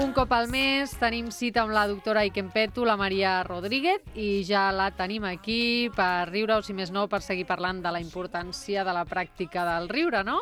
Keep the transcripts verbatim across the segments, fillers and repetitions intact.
un cop al mes tenim cita amb la doctora Ikempetu, la Maria Rodríguez, i ja la tenim aquí per riure, o si més no, per seguir parlant de la importància de la pràctica del riure, no?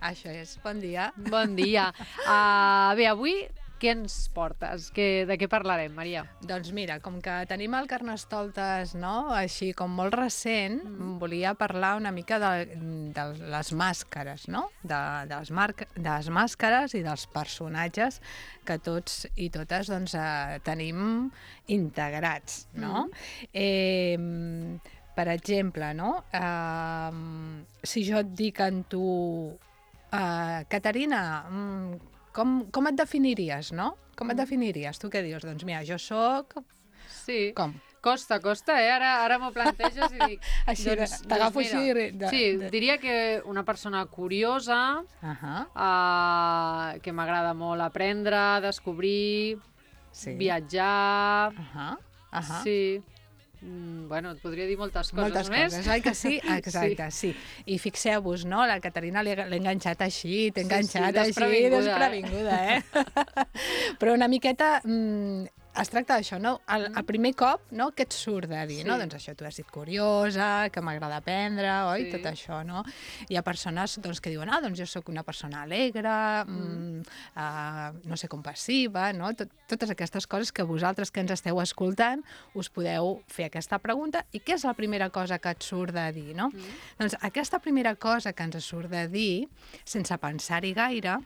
Això és. Bon dia. Bon dia. Uh, bé, avui què ens portes? Que, de què parlarem, Maria? Doncs mira, com que tenim el Carnestoltes, no?, així com molt recent, mm. volia parlar una mica de, de les màscares, no?, de, de, les marca, de les màscares i dels personatges que tots i totes doncs, eh, tenim integrats, no? Mm. Eh, per exemple, no?, eh, si jo et dic en tu, eh, Caterina, mm, Com, com et definiries, no? Com et definiries? Tu què dius? Doncs mira, jo soc... Sí. Com? Costa, costa, eh? Ara, ara m'ho planteges i dic... Així, doncs, t'agafo doncs així... De, sí, de... diria que una persona curiosa, uh -huh. uh, que m'agrada molt aprendre, descobrir, sí. viatjar... Uh -huh. Uh -huh. Sí... Mm, bueno, et podria dir moltes coses moltes més. Moltes coses, oi que sí? Exacte, sí. sí. I fixeu-vos, no? La Caterina l'he enganxat així, t'he enganxat sí, sí, així, desprevinguda, eh? Però una miqueta... Mm, es tracta d'això, no? El, el primer cop, no?, què et surt de dir, sí. no? Doncs això, tu has dit curiosa, que m'agrada aprendre, oi? Sí. Tot això, no? Hi ha persones doncs, que diuen, ah, doncs jo sóc una persona alegre, mm. uh, no sé, compassiva, no? Tot, totes aquestes coses que vosaltres que ens esteu escoltant us podeu fer aquesta pregunta. I què és la primera cosa que et surt de dir, no? Mm. Doncs aquesta primera cosa que ens surt de dir, sense pensar-hi gaire,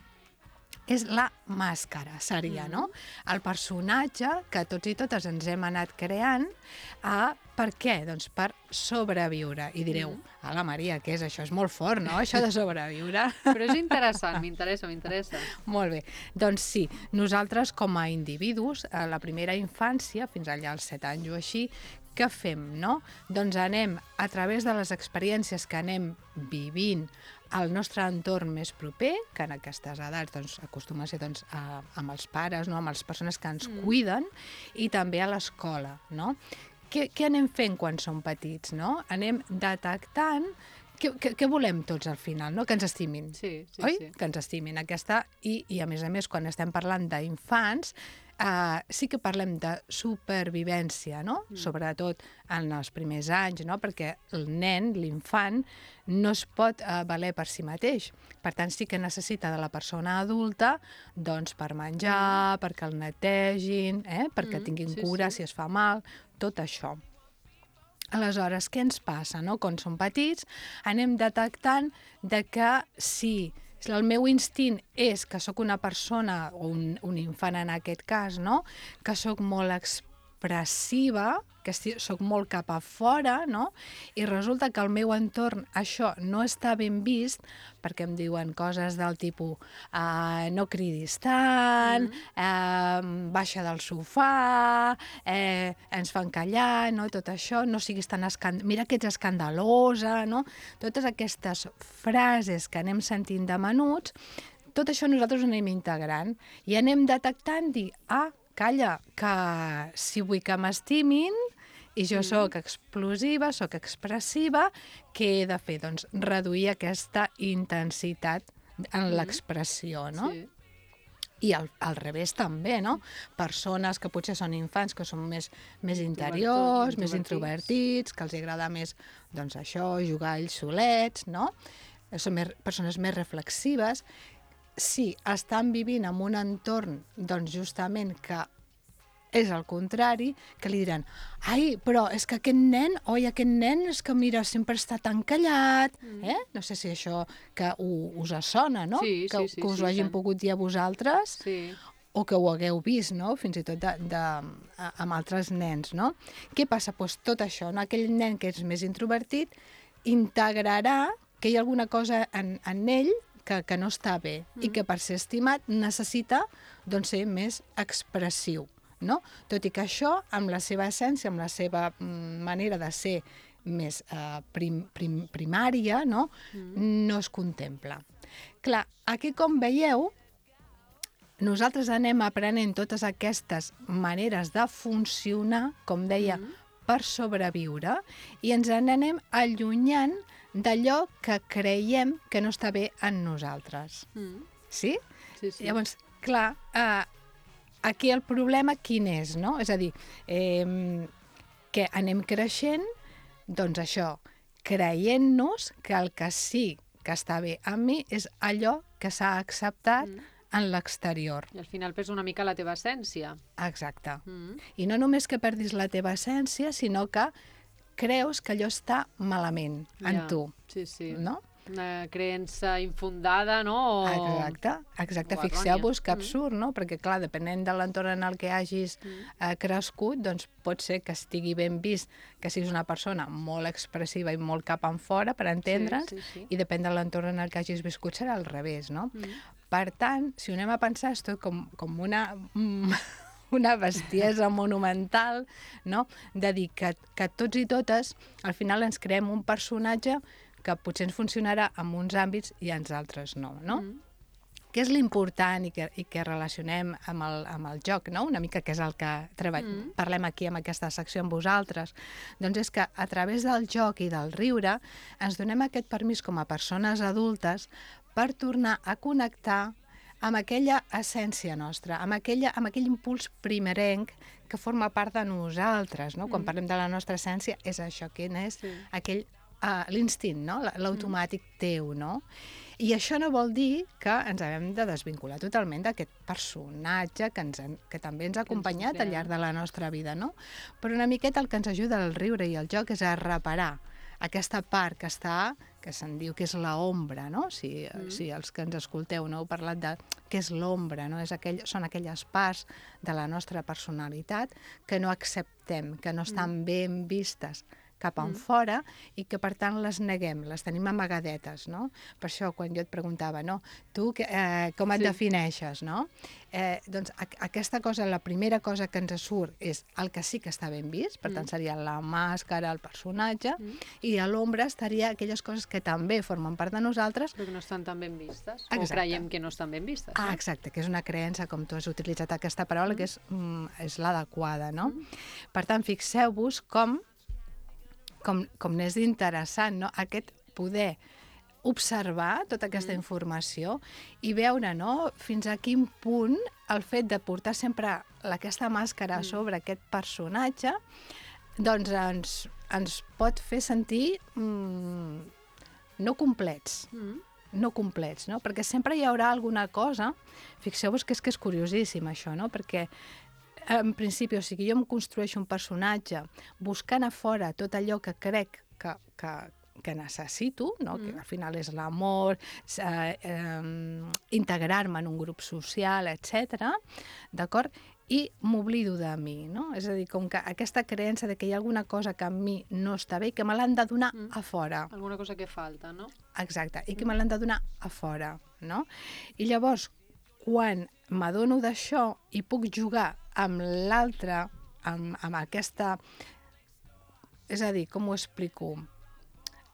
és la màscara, seria, no? El personatge que tots i totes ens hem anat creant, eh, per què? Doncs per sobreviure. I direu, ala Maria, què és això? És molt fort, no?, això de sobreviure. Però és interessant, m'interessa, m'interessa. Molt bé. Doncs sí, nosaltres com a individus, a la primera infància, fins allà als set anys o així, què fem, no? Doncs anem, a través de les experiències que anem vivint al nostre entorn més proper, que en aquestes edats doncs, acostuma a ser doncs, a, amb els pares, no? Amb les persones que ens mm. cuiden, i també a l'escola, no? Què, què anem fent quan som petits, no? Anem detectant què, què, què volem tots al final, no? Que ens estimin, sí, sí, oi? Sí. Que ens estimin. Aquesta, i, i a més a més, quan estem parlant d'infants, Uh, sí que parlem de supervivència, no? Mm. Sobretot en els primers anys, no? Perquè el nen, l'infant, no es pot uh, valer per si mateix. Per tant, sí que necessita de la persona adulta doncs, per menjar, mm. perquè el netegin, eh? perquè mm, tinguin sí, cura sí. si es fa mal, tot això. Aleshores, què ens passa, no? Quan som petits, anem detectant de que sí, el meu instint és que sóc una persona, o un, un infant en aquest cas, no?, que sóc molt expressiva, que sóc molt cap a fora, no?, i resulta que al meu entorn això no està ben vist, perquè em diuen coses del tipus uh, no cridis tant, mm. uh, baixa del sofà, eh, ens fan callar, no?, tot això, no siguis tan escandalosa, mira que ets escandalosa, no?, totes aquestes frases que anem sentint de menuts, tot això nosaltres ho anem integrant i anem detectant, dir, ah, calla, que si vull que m'estimin i jo mm. sóc explosiva, sóc expressiva, què he de fer? Doncs reduir aquesta intensitat en mm. l'expressió, no? Sí. I al, al revés també, no? Persones que potser són infants, que són més, més interiors, més introvertits, que els agrada més, doncs això, jugar ells solets, no? Són més, persones més reflexives. Si estan vivint en un entorn, doncs justament que és el contrari, que li diran, ai, però és que aquest nen, oi, aquest nen és que, mira, sempre està tan callat, mm. eh? No sé si això que ho, us sona, no? Sí, que, sí, sí. Que us sí, ho hagin sí. pogut dir a vosaltres, sí. o que ho hagueu vist, no?, fins i tot de, de, amb altres nens, no? Què passa? Doncs tot això, no? Aquell nen que és més introvertit integrarà que hi ha alguna cosa en, en ell que, que no està bé mm. i que per ser estimat necessita doncs, ser més expressiu. No? Tot i que això, amb la seva essència, amb la seva mm, manera de ser més eh, prim, prim, primària, no? Mm. no es contempla. Clar, aquí com veieu, nosaltres anem aprenent totes aquestes maneres de funcionar, com deia, mm. per sobreviure, i ens n'anem allunyant d'allò que creiem que no està bé en nosaltres. Mm. Sí? Sí, sí. Llavors, clar, eh, aquí el problema quin és, no? És a dir, eh, que anem creixent, doncs això, creient-nos que el que sí que està bé amb mi és allò que s'ha acceptat mm. en l'exterior. I al final perds una mica la teva essència. Exacte. Mm. I no només que perdis la teva essència, sinó que creus que allò està malament en ja. tu. Sí, sí. No? Una creença infundada, no? O... Exacte, exacte. Fixeu-vos que absurd, no? Perquè, clar, depenent de l'entorn en el que hagis mm. eh, crescut, doncs pot ser que estigui ben vist que siguis una persona molt expressiva i molt cap enfora, per entendre'ns, sí, sí, sí. i depèn de l'entorn en el que hagis viscut serà al revés, no? Mm. Per tant, si ho anem a pensar, és tot com, com una... una bestiesa monumental, no? De dir que, que tots i totes, al final ens creem un personatge que potser ens funcionarà en uns àmbits i en altres no, no? Mm. Què és l'important i que, i que relacionem amb el, amb el joc, no? Una mica que és el que treball, mm. parlem aquí amb aquesta secció amb vosaltres, doncs és que a través del joc i del riure ens donem aquest permís com a persones adultes per tornar a connectar amb aquella essència nostra, amb, aquella, amb aquell impuls primerenc que forma part de nosaltres, no? Mm. Quan parlem de la nostra essència és això, que és sí. aquell Uh, l'instint, no? L'automàtic mm. teu, no? I això no vol dir que ens haguem de desvincular totalment d'aquest personatge que, ens, que també ens ha acompanyat al llarg de la nostra vida, no? Però una miqueta el que ens ajuda el riure i el joc és a reparar aquesta part que està, que se'n diu que és l'ombra, no? Si, mm. si els que ens escolteu no heu parlat de què és l'ombra, no? És aquell, són aquelles parts de la nostra personalitat que no acceptem, que no estan mm. ben vistes cap en mm. fora i que, per tant, les neguem, les tenim amagadetes, no? Per això, quan jo et preguntava, no? Tu eh, com et sí. defineixes, no? Eh, doncs a, aquesta cosa, la primera cosa que ens surt és el que sí que està ben vist, per mm. tant, seria la màscara, el personatge, mm. i a l'ombra estaria aquelles coses que també formen part de nosaltres. Però que no estan tan ben vistes, exacte. O creiem que no estan ben vistes. No? Ah, exacte, que és una creença, com tu has utilitzat aquesta paraula, mm. que és, mm, és l'adequada, no? Mm. Per tant, fixeu-vos com com, com n'és interessant, no? Aquest poder observar tota aquesta mm. informació i veure, no?, fins a quin punt el fet de portar sempre aquesta màscara mm. sobre aquest personatge doncs ens, ens pot fer sentir mm, no complets. Mm. no complets, no? Perquè sempre hi haurà alguna cosa, fixeu-vos que és que és curiosíssim això, no? Perquè en principi, o sigui, jo em construeixo un personatge buscant a fora tot allò que crec que, que, que necessito, no? Mm. Que al final és l'amor, eh, eh, integrar-me en un grup social, etcètera, d'acord? I m'oblido de mi, no? És a dir, com que aquesta creença de que hi ha alguna cosa que a mi no està bé i que me l'han de donar mm. a fora. Alguna cosa que falta, no? Exacte, i que mm. me l'han de donar a fora, no? I llavors, quan m'adono d'això i puc jugar amb l'altre, amb, amb aquesta... És a dir, com ho explico?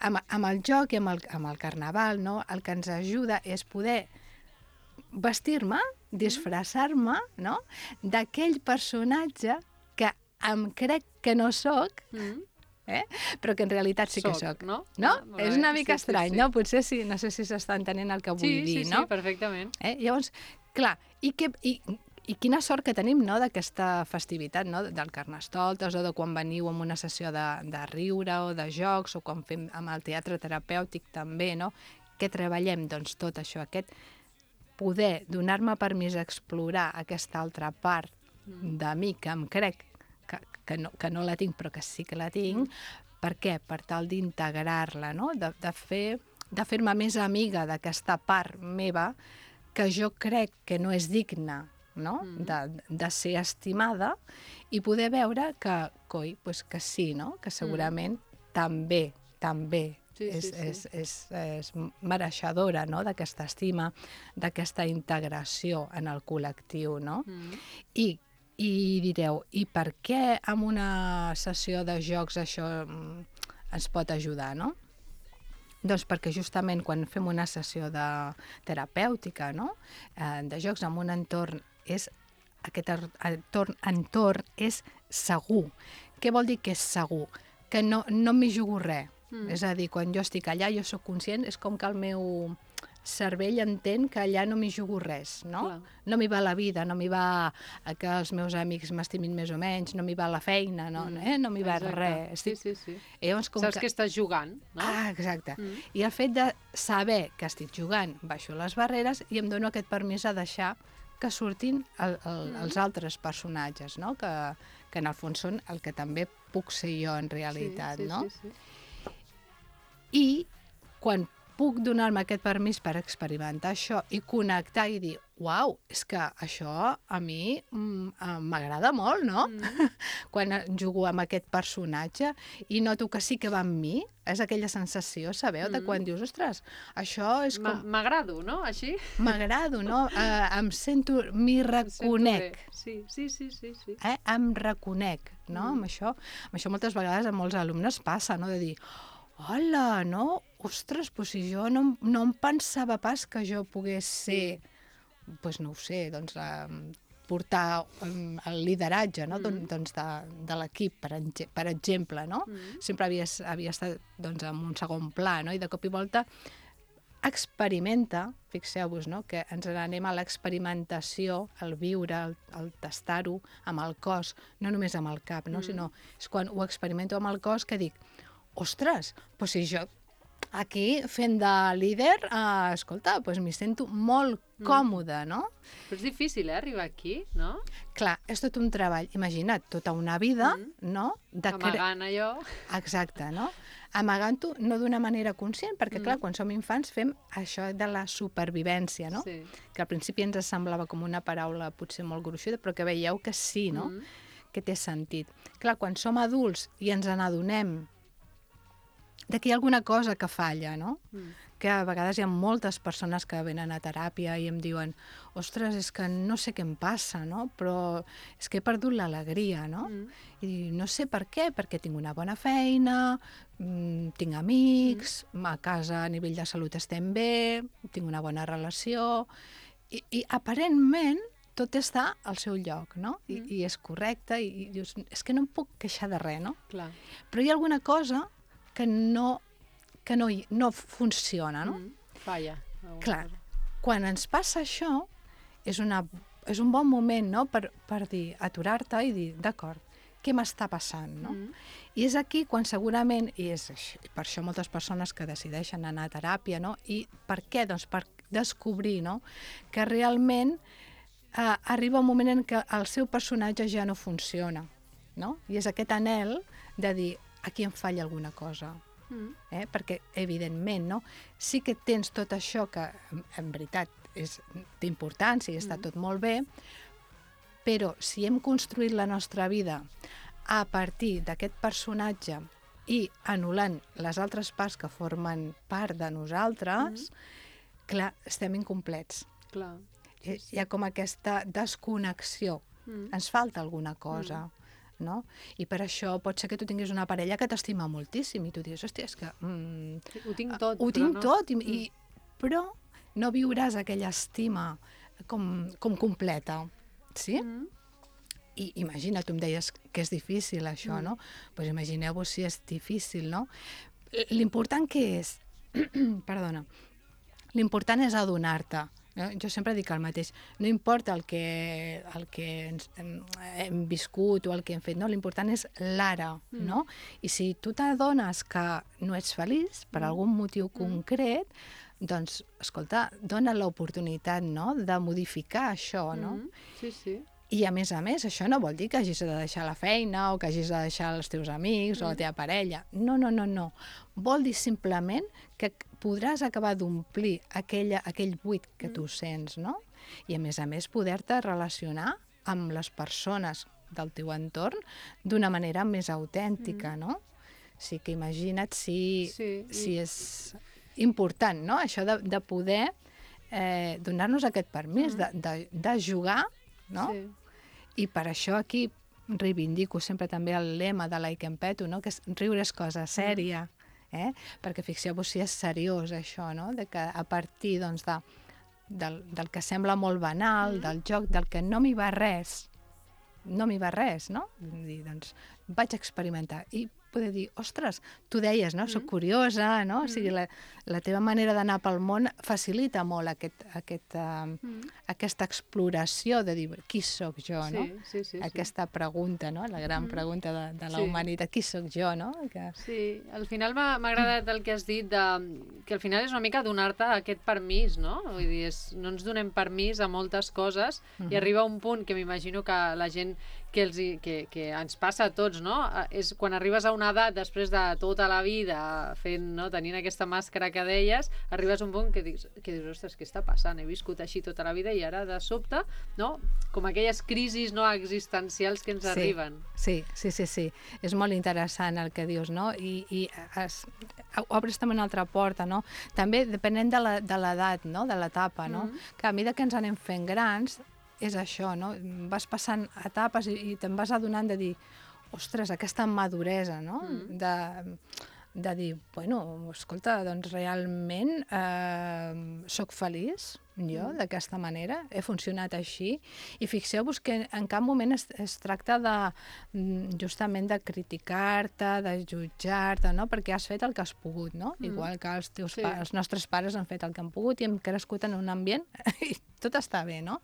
Amb, amb el joc i amb el, amb el carnaval, no? El que ens ajuda és poder vestir-me, disfressar-me, no?, d'aquell personatge que em crec que no soc, mm. eh? Però que en realitat sí que soc. soc. No? no? Ah, és una mica sí, estrany, sí, sí. no? Potser sí, no sé si s'està entenent el que vull sí, dir, sí, no? Sí, sí, perfectament. Eh? Llavors, clar, i, que, i, i quina sort que tenim, no?, d'aquesta festivitat, no?, del Carnestoltes, o de quan veniu en una sessió de, de riure o de jocs, o quan fem amb el teatre terapèutic també, no?, que treballem, doncs, tot això, aquest poder donar-me permís d'explorar aquesta altra part mm. de mi que em crec que, que, no, que no la tinc, però que sí que la tinc. Mm. Per què? Per tal d'integrar-la, no?, de, de fer, de fer-me més amiga d'aquesta part meva que jo crec que no és digna, no?, mm. de, de ser estimada, i poder veure que, coi, pues que sí, no?, que segurament mm. també, també sí, és, sí, sí. És, és, és mereixedora, no?, d'aquesta estima, d'aquesta integració en el col·lectiu, no? Mm. I, I direu, i per què en una sessió de jocs això ens pot ajudar, no? Doncs perquè justament quan fem una sessió de terapèutica, no?, eh, de jocs en un entorn, és, aquest entorn, entorn és segur. Què vol dir que és segur? Que no, no m'hi jugo res. Mm. És a dir, quan jo estic allà, jo sóc conscient, és com que el meu, cervell entén que allà no m'hi jugo res, no? Clar. No m'hi va la vida, no m'hi va que els meus amics m'estimin més o menys, no m'hi va la feina, no, mm. eh? no m'hi va res. Sí, sí, sí. I llavors, com Saps que... que estàs jugant, no? Ah, exacte. Mm. I el fet de saber que estic jugant, baixo les barreres i em dono aquest permís a deixar que surtin el, el, mm. els altres personatges, no? Que, que en el fons són el que també puc ser jo en realitat, sí, sí, no? Sí, sí. I quan puc donar-me aquest permís per experimentar això i connectar i dir, uau, és que això a mi m'agrada molt, no? Mm. Quan jugo amb aquest personatge i noto que sí que va amb mi, és aquella sensació, sabeu, mm. de quan dius, ostres, això és com... M'agrado, no? Així? M'agrado, no? Uh, em sento, m'hi reconec. Sí, sí, sí, sí. sí. Eh? Em reconec, no? Mm. Amb això, amb això moltes vegades a molts alumnes passa, no? De dir, hola, no? Ostres, doncs si jo no, no em pensava pas que jo pogués ser, doncs no ho sé, doncs um, portar um, el lideratge, no? Mm. doncs de, de l'equip, per, per exemple, no? Mm. Sempre havia, havia estat doncs, en un segon pla, no? I de cop i volta experimenta, fixeu-vos, no? Que ens n'anem a l'experimentació, el viure, el, el tastar-ho amb el cos, no només amb el cap, no? Mm. Sinó és quan ho experimento amb el cos que dic, ostres, doncs si jo aquí fent de líder, eh, escolta, doncs m'hi sento molt còmode, no? Però és difícil, eh, arribar aquí, no? Clar, és tot un treball. Imagina't, tota una vida, mm. no? De amagant allò. Exacte, no? Amagant-ho no d'una manera conscient, perquè, mm. clar, quan som infants fem això de la supervivència, no? Sí. Que al principi ens semblava com una paraula potser molt gruixuda, però que veieu que sí, no? Mm. Que té sentit. Clar, quan som adults i ens n'adonem de que hi ha alguna cosa que falla, no? Mm. Que a vegades hi ha moltes persones que venen a teràpia i em diuen, ostres, és que no sé què em passa, no? Però és que he perdut l'alegria, no? Mm. I no sé per què, perquè tinc una bona feina, mmm, tinc amics, mm. a casa a nivell de salut estem bé, tinc una bona relació, i, i aparentment tot està al seu lloc, no? I, mm. i és correcte, i, i dius, és que no em puc queixar de res, no? Clar. Però hi ha alguna cosa que no, que no, no funciona, no? Mm, falla. Clar, quan ens passa això, és, una, és un bon moment, no?, per, per dir, aturar-te i dir, d'acord, què m'està passant, no? Mm. I és aquí quan segurament, i és per això moltes persones que decideixen anar a teràpia, no? I per què? Doncs per descobrir, no?, que realment eh, arriba un moment en què el seu personatge ja no funciona, no? I és aquest anhel de dir, aquí em falla alguna cosa, mm. eh? Perquè, evidentment, no? Sí que tens tot això que, en veritat, és d'importància i està mm. tot molt bé, però si hem construït la nostra vida a partir d'aquest personatge i anul·lant les altres parts que formen part de nosaltres, mm. clar, estem incomplets. Clar. Sí, sí. Hi ha com aquesta desconnexió. Mm. Ens falta alguna cosa. Mm. No? I per això pot ser que tu tinguis una parella que t'estima moltíssim i tu dius, hòstia, és que... Mm, ho tinc tot, ho tinc no. tot, i, mm. i, però no viuràs aquella estima com, com completa, sí? Mm. I imagina, tu em deies que és difícil això, mm. no? Doncs pues imagineu-vos si és difícil, no? L'important que és, perdona, l'important és adonar-te. No? Jo sempre dic el mateix, no importa el que, el que ens, hem, hem viscut o el que hem fet, no? L'important és l'ara, mm. no? I si tu t'adones que no ets feliç per mm. algun motiu concret, doncs, escolta, dona l'oportunitat, no?, de modificar això, no? Mm. Sí, sí. I a més a més, això no vol dir que hagis de deixar la feina o que hagis de deixar els teus amics mm. o la teva parella. No, no, no, no. Vol dir simplement que podràs acabar d'omplir aquella, aquell buit que mm. tu sents, no? I a més a més poder-te relacionar amb les persones del teu entorn d'una manera més autèntica, mm. no? Sí que imagina't si, sí, si i... és important, no? Això de, de poder eh, donar-nos aquest permís mm. de, de, de jugar, no? Sí. I per això aquí reivindico sempre també el lema de Like and Peto, no? Que és riure és cosa sèria, eh? Perquè fixeu-vos si és seriós això, no? De que a partir, doncs, de, del, del que sembla molt banal, mm. del joc, del que no m'hi va res, no m'hi va res, no? Vull dir, doncs, vaig experimentar. I poder dir, ostres, tu deies, no? Soc curiosa, no? O sigui, la, la teva manera d'anar pel món facilita molt aquest, aquest, uh, mm. aquesta exploració de dir, qui sóc jo, no? Sí, sí, sí. Aquesta sí. pregunta, no? La gran mm. pregunta de, de la sí. humanitat, qui sóc jo, no? Que... Sí, al final m'ha agradat el que has dit, de, que al final és una mica donar-te aquest permís, no? Vull dir, és, no ens donem permís a moltes coses mm-hmm. i arriba un punt que m'imagino que la gent que, els, que, que ens passa a tots, no? És quan arribes a una edat, després de tota la vida fent, no? Tenint aquesta màscara que deies, arribes a un punt que dius, que dius, ostres, què està passant? He viscut així tota la vida i ara de sobte, no? Com aquelles crisis no existencials que ens sí, arriben. Sí, sí, sí, sí. És molt interessant el que dius, no? I, i es, obres també una altra porta, no? També depenent de l'edat, no? De l'etapa, no? Mm-hmm. Que a mesura que ens anem fent grans, és això, no? Vas passant etapes i, i te'n vas adonant de dir, ostres, aquesta maduresa, no? Mm. De, de dir, bueno, escolta, doncs realment eh, soc feliç, jo, mm. d'aquesta manera, he funcionat així, i fixeu-vos que en cap moment es, es tracta de, justament de criticar-te, de jutjar-te, no? Perquè has fet el que has pogut, no? Mm. Igual que els, teus sí. pa, els nostres pares han fet el que han pogut i hem crescut en un ambient i tot està bé, no?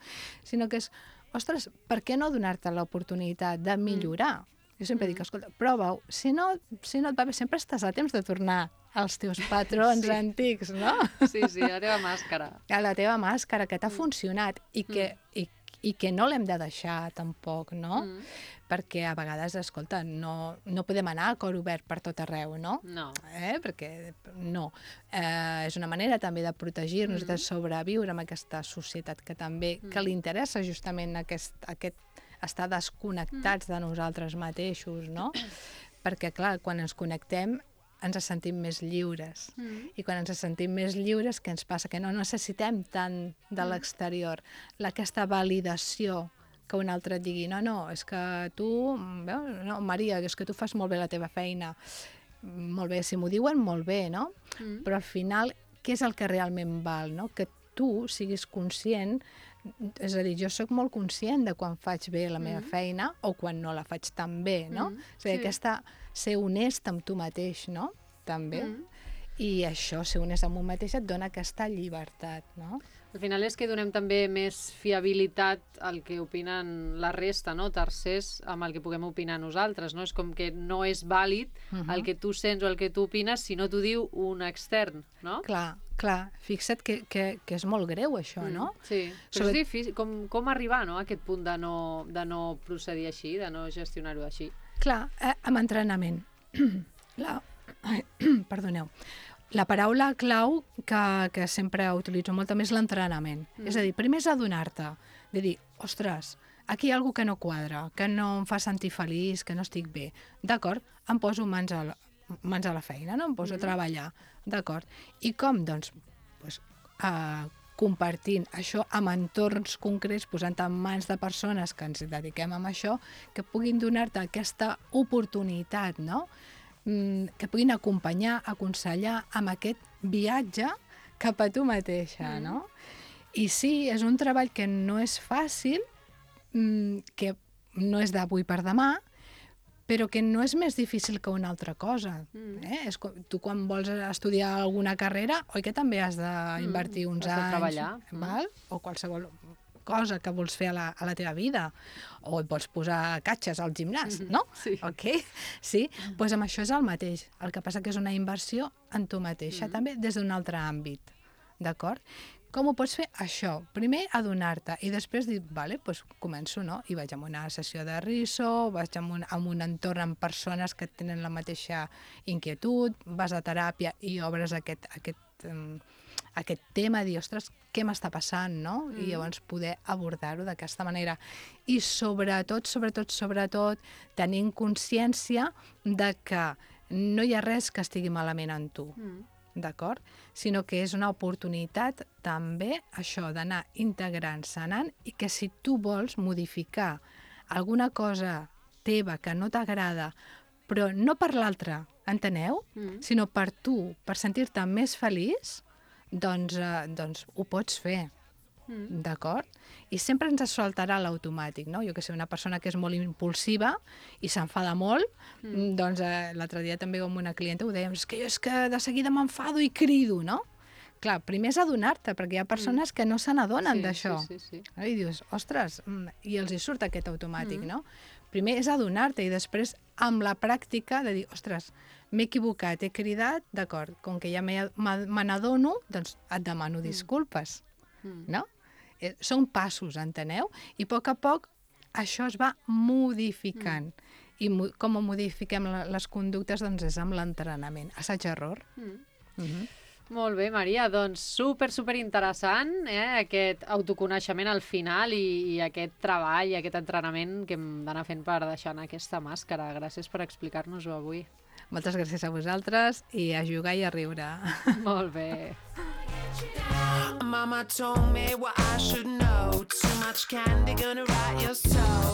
Sinó que és, ostres, per què no donar-te l'oportunitat de millorar? Mm. Jo sempre mm. dic, escolta, prova-ho. Si no, si no et va bé, sempre estàs a temps de tornar als teus patrons sí. antics, no? Sí, sí, a la teva màscara. A la teva màscara, que t'ha mm. funcionat i que, mm. i, i que no l'hem de deixar tampoc, no? Mm. Perquè a vegades, escolta, no, no podem anar a cor obert per tot arreu, no? No. Eh? Perquè no. Eh, és una manera també de protegir-nos, mm. de sobreviure en aquesta societat que també, mm. que li interessa justament aquest, aquest estar desconnectats mm. de nosaltres mateixos, no? Perquè, clar, quan ens connectem ens sentim més lliures. Mm. I quan ens sentim més lliures, què ens passa? Que no necessitem tant de mm. l'exterior, aquesta validació que un altre et digui, no, no, és que tu, veus? No, Maria, és que tu fas molt bé la teva feina. Molt bé, si m'ho diuen, molt bé, no? Mm. Però al final, què és el que realment val, no? Que tu siguis conscient, és a dir, jo sóc molt conscient de quan faig bé la meva mm. feina o quan no la faig tan bé, no? Mm. És a dir, sí. aquesta, ser honest amb tu mateix, no? També. Mm. I això, ser honest amb un mateix, et dona aquesta llibertat, no? Al final és que donem també més fiabilitat al que opinen la resta, no? Tercers, amb el que puguem opinar nosaltres, no? És com que no és vàlid uh-huh. el que tu sents o el que tu opines si no t'ho diu un extern, no? Clar, clar. Fixa't que, que, que és molt greu, això, mm, no? Sí, però Sobre... és difícil. Com, com arribar, no?, a aquest punt de no, de no procedir així, de no gestionar-ho així? Clar, eh, amb entrenament. La... Ai, perdoneu. La paraula clau que, que sempre utilitzo molt també és l'entrenament. Mm. És a dir, primer és adonar-te, de dir, ostres, aquí hi ha alguna que no quadra, que no em fa sentir feliç, que no estic bé. D'acord, em poso mans a la, mans a la feina, no? Em poso mm. a treballar, d'acord. I com? Doncs, doncs uh, compartint això amb entorns concrets, posant-te en mans de persones que ens dediquem a això, que puguin donar-te aquesta oportunitat, no?, que puguin acompanyar, aconsellar amb aquest viatge cap a tu mateixa, no? I sí, és un treball que no és fàcil, que no és d'avui per demà, però que no és més difícil que una altra cosa. Mm. Eh? És com, tu quan vols estudiar alguna carrera, oi que també has d'invertir mm, uns anys, treballar. Val? O qualsevol cosa que vols fer a la, a la teva vida, o et pots posar catxes al gimnàs, mm-hmm. no? Sí. Ok? Sí? Doncs pues amb això és el mateix. El que passa que és una inversió en tu mateixa, mm. també des d'un altre àmbit. D'acord? Com ho pots fer? Això. Primer, adonar-te, i després dir, vale, doncs començo, no? I vaig a una sessió de riso, vaig a un, a un entorn amb persones que tenen la mateixa inquietud, vas a teràpia i obres aquest, aquest, um, aquest tema, dir, ostres, què m'està passant, no? Mm. I llavors poder abordar-ho d'aquesta manera. I sobretot, sobretot, sobretot, tenint consciència de que no hi ha res que estigui malament en tu. Mm. D'acord? Sinó que és una oportunitat també, això, d'anar integrant, sanant, i que si tu vols modificar alguna cosa teva que no t'agrada, però no per l'altre, enteneu? Mm. Sinó per tu, per sentir-te més feliç, doncs, eh, doncs ho pots fer. mm. d'acord? I sempre ens saltarà l'automàtic, no? Jo que sé, una persona que és molt impulsiva i s'enfada molt, mm. doncs eh, l'altre dia també amb una clienta ho dèiem, és que jo és que de seguida m'enfado i crido, no? Clar, primer és adonar-te, perquè hi ha persones mm. que no se n'adonen sí, d'això. Sí, sí, sí. I dius, ostres, i els hi surt aquest automàtic, mm. no? Primer és adonar-te i després, amb la pràctica, de dir, ostres, m'he equivocat, he cridat, d'acord, com que ja me n'adono, doncs et demano disculpes, mm. no? Eh, són passos, enteneu? I a poc a poc això es va modificant. Mm. I mo com modifiquem les conductes? Doncs és amb l'entrenament. Assaig-error. Mm. Mm-hmm. Molt bé, Maria. Doncs super, super interessant, eh? Aquest autoconeixement al final i, i aquest treball, i aquest entrenament que hem d'anar fent per deixar anar aquesta màscara. Gràcies per explicar-nos-ho avui. Moltes gràcies a vosaltres i a jugar i a riure. Molt bé. Mama told me what I should know. Too much candy gonna rot your soul.